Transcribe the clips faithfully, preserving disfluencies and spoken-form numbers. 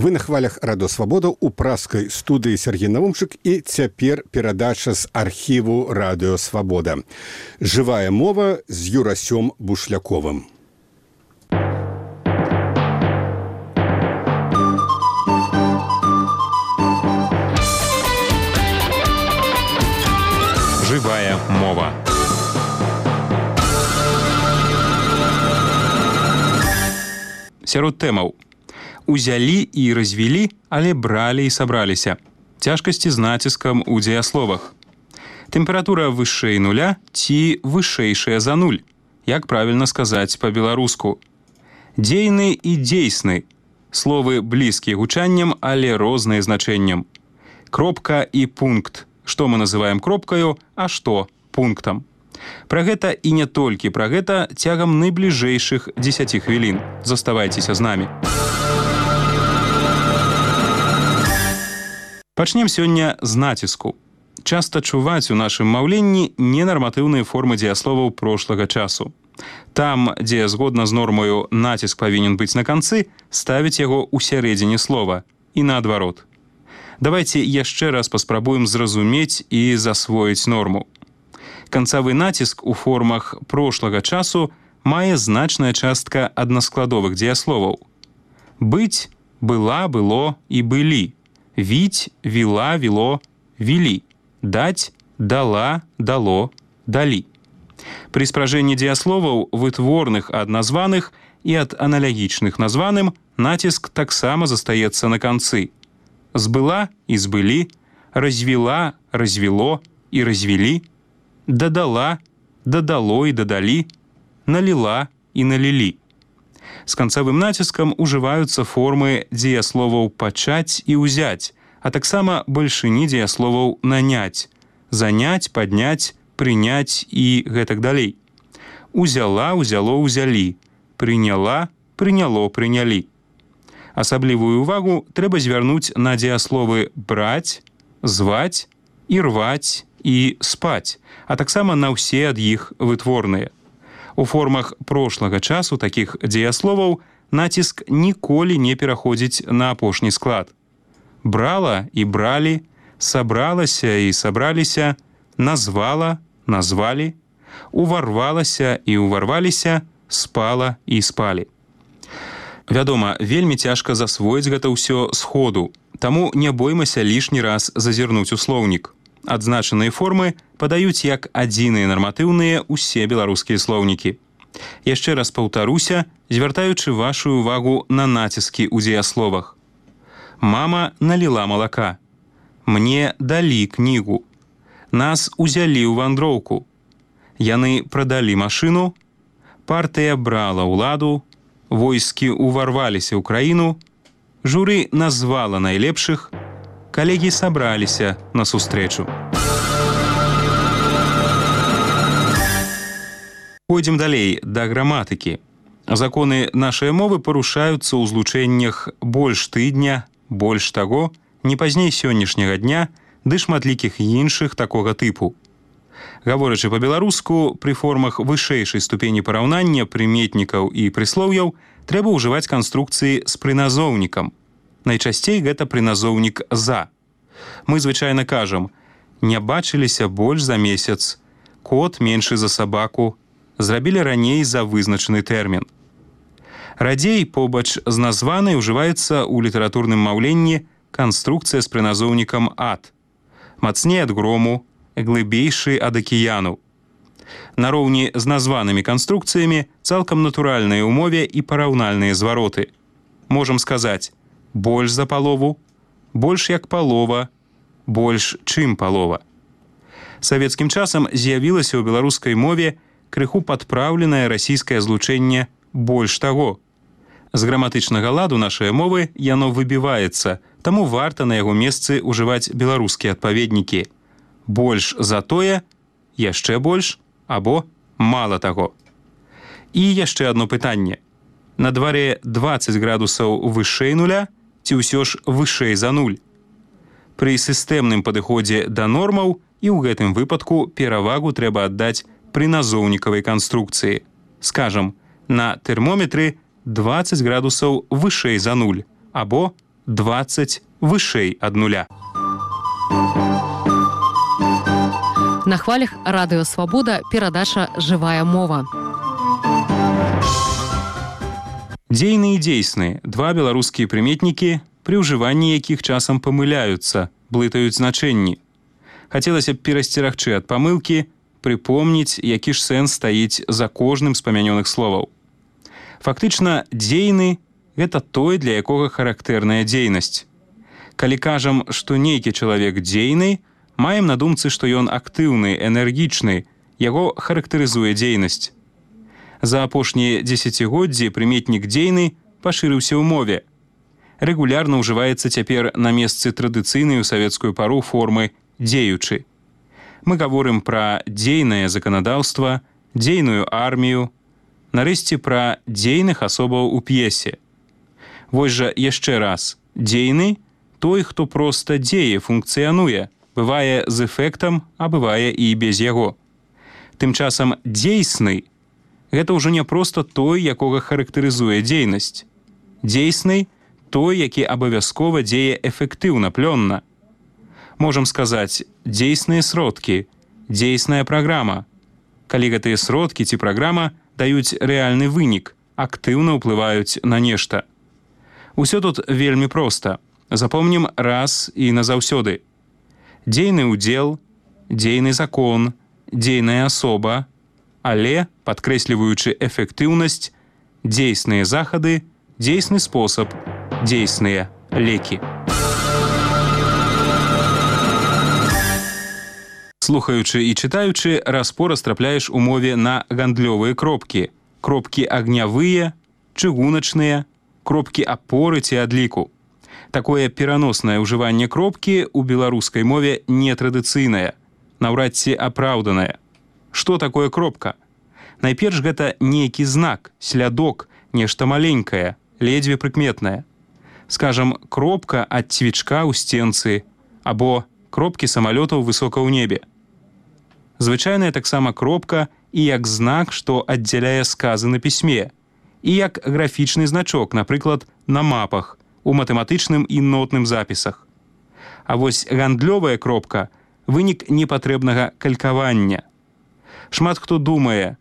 Вы на хвалях Радиосвабода у праскай студыі Сергей Наумчык і цяпер перадача з архіву Радиосвабода. Жывая мова з Юрасём Бушляковым. Жывая мова. Сярод тэмаў: узялі і развілі, але бралі і сабраліся. Цяжкасці з націскам у дзеясловах. Тэмпература вышэй нуля ці вышэйшая за нуль. Як правільна сказаць па-беларуску? Дзейны і дзейсны. Словы блізкія гучаннем, але розныя значэннем. Кропка і пункт. Што мы называем кропкаю, а што пунктам. Пра гэта і не толькі пра гэта цягам найбліжэйшых дзесяці хвілін. Заставайцеся з намі. Пачнем сёння з націску. Часта чуваць у нашым маўленні ненарматыўныя формы дзеясловаў прошлага часу. Там, дзе згодна з нормаю націск павінен быць на канцы, ставіць яго ў сярэдзіне слова і наадварот. Давайте яшчэ раз паспрабуем зразумець і засвоіць норму. Канцавы націск у формах прошлага часу мае значная частка аднаскладовых дзеясловаў. Быць, была, было і былі. Віць, віла, віло, вілі. Даць, дала, дало, далі. Пры спражэнні дзеясловаў вытворных ад названых і ад аналагічных названым націск таксама застаецца на канцы. Збыла і збылі, развіла, развіло і развілі, дадала, дадало і дадалі, наліла і налілі. З канцавым націскам ужываюцца формы дзеясловаў пачаць і ўзяць, а таксама бальшыні дзеясловаў наняць, заняць, падняць, прыняць і гэтак далей. Узяла, узяло, узялі, прыняла, прыняло, прынялі. Асаблівую увагу трэба звярнуць на дзеясловы браць, зваць, ірваць і спаць, а таксама на ўсе ад іх вытворныя. У формах прошлага часу такіх дзеясловаў націск ніколі не пераходзіць на апошні склад. Брала і бралі, сабралася і сабраліся, назвала, назвалі, уварвалася і уварваліся, спала і спалі. Вядома, вельмі цяжка засвоіць гэта ўсё сходу, таму не боймася лішні раз зазірнуць у слоўнік. Адзначаныя формы падаюць як адзіныя нарматыўныя ўсе беларускія слоўнікі. Яшчэ раз паўтаруся, звяртаючы вашу увагу на націскі ў дзеясловах. Мама наліла малака. Мне далі кнігу. Нас узялі ў вандроўку. Яны прадалі машыну. Партыя брала ўладу. Войскі уварваліся ў краіну, журы назвала найлепшых, калегі сабраліся на сустрэчу. Пойдзем далей да граматыкі. Законы нашай мовы парушаюцца ў злучэннях больш тыдня, больш таго, не пазней сённяшняга дня, ды шматлікіх іншых такога тыпу. Гаворачы па-беларуску, пры формах вышэйшай ступені параўнання прыметнікаў і прыслоўяў трэба ўжываць канструкцыі з прыназоўнікам. Найчасцей гэта прыназоўнік «за». Мы звычайна кажам: не бачыліся больш за месяц, кот меншы за сабаку, зрабілі раней за вызначаны тэрмін. Радзей побач з названай ўжываецца ў літаратурным маўленні канструкцыя з прыназоўнікам «ад». Мацней ад грому, глыбейшы ад акіяну. Нароўні з названымі канструкцыямі цалкам натуральныя ў мове і параўнальныя звароты. Можам сказаць больш за палову, больш як палова, больш чым палова. Савецкім часам з'явілася ў беларускай мове крыху падпраўленае расійскае злучэнне больш таго. З граматычнага ладу нашай мовы яно выбіваецца, таму варта на яго месцы ўжываць беларускія адпаведнікі. Больш за тое, яшчэ больш, або мала таго. І яшчэ адно пытанне. На дварэ дваццаць градусаў вышэй нуля ці ўсё ж вышэй за нуль? Пры сістэмным падыходзе да нормаў і ў гэтым выпадку перавагу трэба аддаць прыназоўнікавай канструкцыі. Скажам, на тэрмометры дваццаць градусаў вышэй за нуль, або дваццаць вышэй ад нуля. На хвалях радыё Свабода перадача «Жывая мова». Дзейны і дзейсны – два беларускія прыметнікі, пры ўжыванні якіх часам памыляюцца, блытаюць значэнні. Хацелася б перасцерагчы ад памылкі, прыпомніць, які ж сэнс стаіць за кожным з памянёных словаў. Фактычна, дзейны – гэта той, для якога характэрная дзейнасць. Калі кажам, што нейкі чалавек дзейны, маем на думцы, што ён актыўны, энергічны, яго характарызуе дзейнасць. За апошнія дзесяцігоддзі прыметнік дзейны пашырыўся ў мове. Рэгулярна ўжываецца цяпер на месцы традыцыйнай у савецкую пару формы «дзеючы». Мы гаворым пра дзейнае заканадаўства, дзейную армію, нарэшце пра дзейных асобаў у п'есе. Вось жа яшчэ раз. Дзейны – той, хто проста дзее, функцыянуе, бывае з эфектам, а бывае і без яго. Тым часам дзейсны – гэта ўжо не проста той, якога характарызуе дзейнасць. Дзейсны – той, які абавязкова дзее эфектыўна, плённа. Можам сказаць, дзейсныя сродкі, дзейсная праграма. Калі гэтыя сродкі ці праграма даюць рэальны вынік, актыўна ўплываюць на нешта. Усё тут вельмі проста. Запомнім раз і назаўсёды. Дзейны ўдзел, дзейны закон, дзейная асоба, але, падкрэсліваючы эфектыўнасць, дзейсныя захады, дзейсны спосаб, дзейсныя лекі. Слухаючы і чытаючы, раз-пораз трапляеш у мове на гандлёвыя кропкі. Кропкі агнявыя, чыгуначныя, кропкі апоры ці адліку. Такое пераноснае ўжыванне кропкі ў беларускай мове нетрадыцыйнае, наўрад ці апраўданае. Што такое кропка? Найперш гэта нейкі знак, слядок, нешта маленькае, ледзьве прыкметнае. Скажам, кропка ад цвічка ў сценцы або кропкі самалётаў высока ў небе. Звычайная таксама кропка і як знак, што аддзяляе сказы на пісьме, і як графічны значок, напрыклад, на мапах, у матэматычным і нотным запісах. А вось гандлёвая кропка – вынік непатрэбнага калькавання. Шмат хто думае,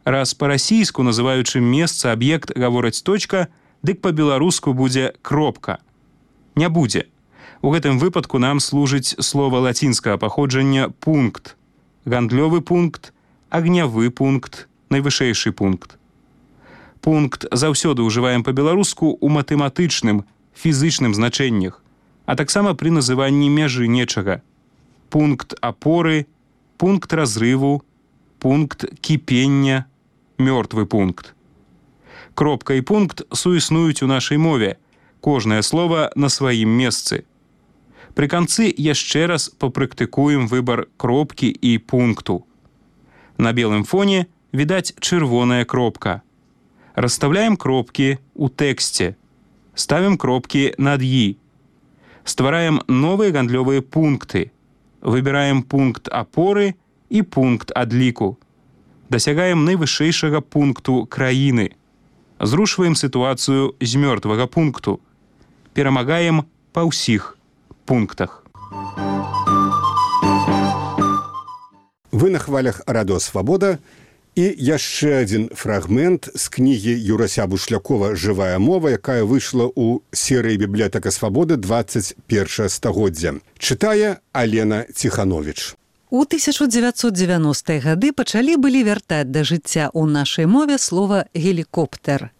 раз па-расійску, называючы месца, аб'ект, гавораць точка, дык па-беларуску будзе кропка. Не будзе. У гэтым выпадку нам служыць слова лацінскага паходжання «пункт». Гандлёвы пункт, агнявы пункт, найвышэйшы пункт. Пункт заўсёды ўжываем па-беларуску ў матэматычным, фізычным значэннях, а таксама пры называнні мяжы нечага. Пункт апоры, пункт разрыву, пункт кіпення, мёртвы пункт. Кропка і пункт суіснуюць у нашай мове, кожнае слова на сваім месцы. Пры канцы яшчэ раз папрактыкуем выбар кропкі і пункту. На белым фоне відаць чырвоная кропка. Расставляем кропкі ў тэксце. Ставім кропкі над «і». Ствараем новыя гандлёвыя пункты. Выбіраем пункт апоры і пункт адліку. Дасягаем найвышэйшага пункту краіны. Зрушваем сітуацыю з мёртвага пункту. Перамагаем па ўсіх пунктах. Вы на хвалях радыё Свабода. І яшчэ адзін фрагмент з кнігі Юрася Бушлякова «Жывая мова», якая выйшла ў серыі «Бібліятэка Свабоды» дваццаць першае стагоддзя. Чытае Алена Ціхановіч. У тысяча дзевяцьсот дзевяностыя гады пачалі былі вяртаць да жыцця ў нашай мове слова «гелікоптер».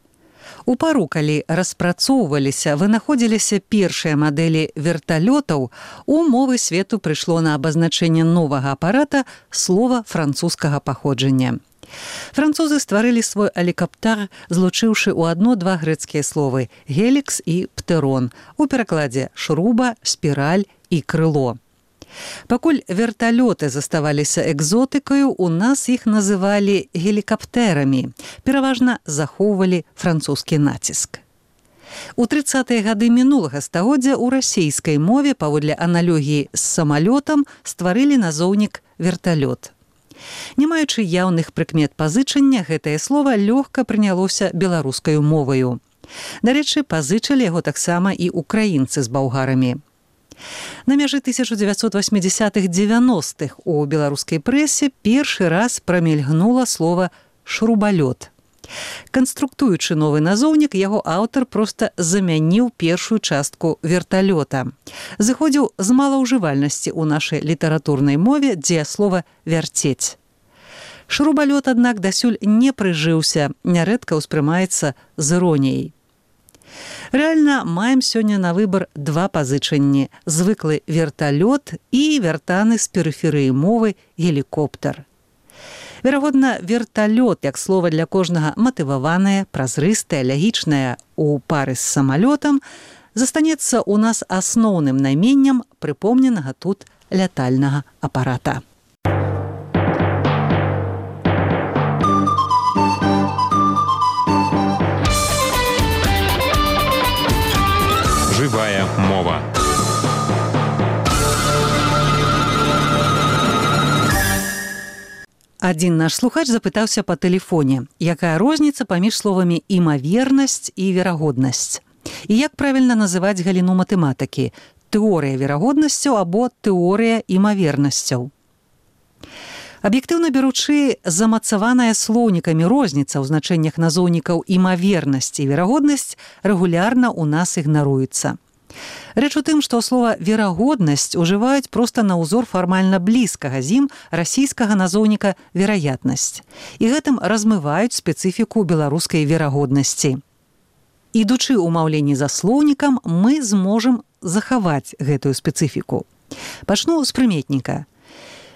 У пару, калі распрацоўваліся, вынаходзіліся першыя мадэлі верталётаў, у мовы свету прыйшло на абазначэнне новага апарата слова французскага паходжання. Французы стварылі свой алікаптар, злучыўшы ў адно два грэцкія словы «гелікс» і «птерон», у перакладзе «шруба», «спіраль» і «крыло». Пакуль верталёты заставаліся экзотыкаю, у нас іх называлі гелікаптэрамі, пераважна захоўвалі французскі націск. У трыццатыя гады мінулага стагоддзя ў расійскай мове паводле аналогіі з самалётам стварылі назоўнік верталёт. Не маючы яўных прыкмет пазычання, гэтае слова лёгка прынялося беларускаю моваю. Дарэчы, пазычылі яго таксама і украінцы з балгарамі. На мяжы тысяча дзевяцьсот васьмідзясятых - дзевяностых у беларускай прэсе першы раз прамільгнула слова «шрубалёт». Канструктуючы новы назоўнік, яго аўтар проста замяніў першую частку верталёта. Зыходзіў з малаўжывальнасці ў нашай літаратурнай мове дзеяслова «вярцець». Шрубалёт, аднак, дасюль не прыжыўся, нярэдка ўспрымаецца з іроніяй. Рэальна, маем сёння на выбар два пазычанні – звыклы верталёт і вяртаны з перыферыі мовы гелікоптер. Верагодна, верталёт, як слова для кожнага матываванае, празрыстае, лягічнае у пары з самалётам, застанецца ў нас асноўным найменнем прыпомненага тут лятальнага апарата. Жывая мова. Адзін наш слухач запытаўся па тэлефоне, якая розніца паміж словамі «імавернасць» і «верагоднасць». І як правільна называць галіну матэматыкі – тэорыя верагоднасцяў або тэорыя імавернасцяў. Аб'ектыўна беручы, замацаваная слоўнікамі розніца ў значэннях назоўнікаў імавернасць і верагоднасць рэгулярна ў нас ігнаруецца. Рэч у тым, што слова «верагоднасць» ужываюць проста на ўзор фармальна блізкага з ім расійскага назоўніка «вераятнасць». І гэтым размываюць спецыфіку беларускай верагоднасці. Ідучы ў маўленні за слоўнікам, мы зможам захаваць гэтую спецыфіку. Пачну з прыметніка.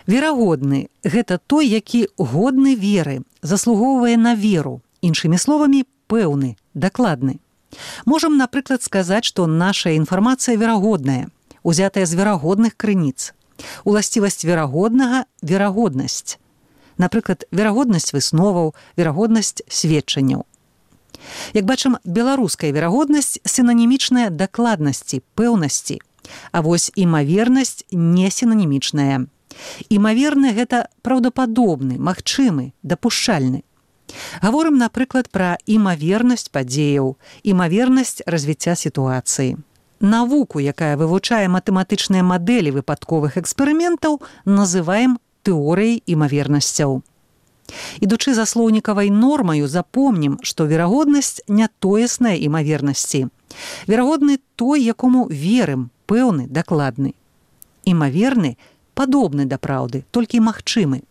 Верагодны – гэта той, які годны веры, заслугоўвае на веру. Іншымі словамі, пэўны, дакладны. Можам, напрыклад, сказаць, што наша інфармацыя верагодная, узятая з верагодных крыніц. Уласцівасць верагоднага – верагоднасць. Напрыклад, верагоднасць высноваў, верагоднасць сведчанняў. Як бачым, беларуская верагоднасць сінанімічная дакладнасці, пэўнасці. А вось імавернасць не сінанімічная. Імаверны – гэта праўдападобны, магчымы, дапушчальны. Гаворым, напрыклад, пра імавернасць падзеяў, імавернасць развіцця сітуацыі. Навуку, якая вывучае матэматычныя мадэлі выпадковых эксперыментаў, называем тэорыяй імавернасцяў. Ідучы за слоўнікавай нормаю, запомнім, што верагоднасць не тоесная імавернасці. Верагодны той, якому верым, пэўны, дакладны. Імаверны – падобны да праўды, толькі магчымы.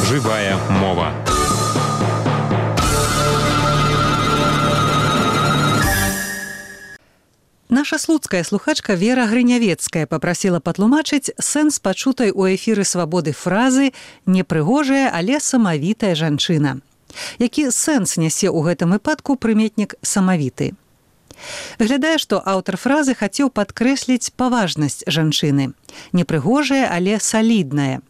Жывая мова. Наша слуцкая слухачка Вера Грынявецкая папрасіла патлумачыць сэнс пачутай у эфіры «Свабоды» фразы «непрыгожая, але самавітая жанчына». Які сэнс нясе ў гэтым выпадку прыметнік «самавіты». Выглядае, што аўтар фразы хацеў падкрэсліць паважнасць жанчыны. Непрыгожая, але салідная.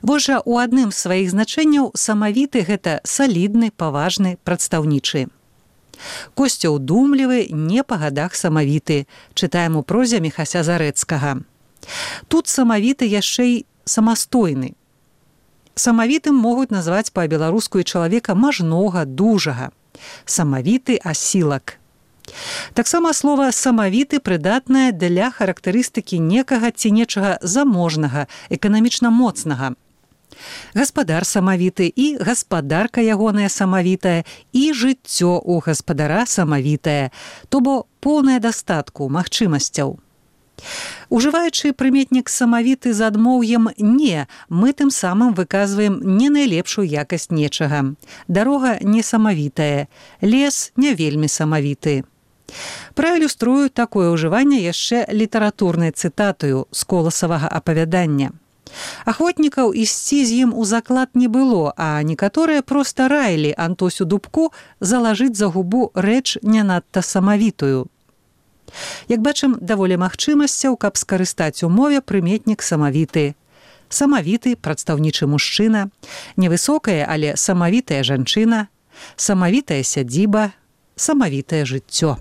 Вось жа у адным з сваіх значэнняў самавіты – гэта салідны, паважны, прадстаўнічы. Косця ўдумлівы, не па гадах самавіты, чытаем у прозе Міхася Зарэцкага. Тут самавіты яшчэ й самастойны. Самавітым могуць назваць па-беларуску і чалавека мажнога, дужага. Самавіты асілак. Таксама слова «самавіты» прыдатнае для характарыстыкі некага ці нечага заможнага, эканамічна моцнага. Гаспадар самавіты і гаспадарка ягоная самавітая і жыццё ў гаспадара самавітае, то бо поўнае дастатку, магчымасцяў. Ужываючы прыметнік «самавіты» з адмоўем «не», мы тым самым выказваем не найлепшую якасць нечага. Дарога не самавітая, лес не вельмі самавіты. Праілюструю такое ўжыванне яшчэ літаратурнай цытатаю з коласавага апавядання. Ахвотнікаў ісці з ім у заклад не было, а некаторыя проста раілі Антосю Дубку залажыць за губу рэч не надта самавітую. Як бачым, даволі магчымасцяў, каб скарыстаць у мове прыметнік самавіты. Самавіты – прадстаўнічы мужчына, невысокая, але самавітая жанчына, самавітая сядзіба, самавітае жыццё.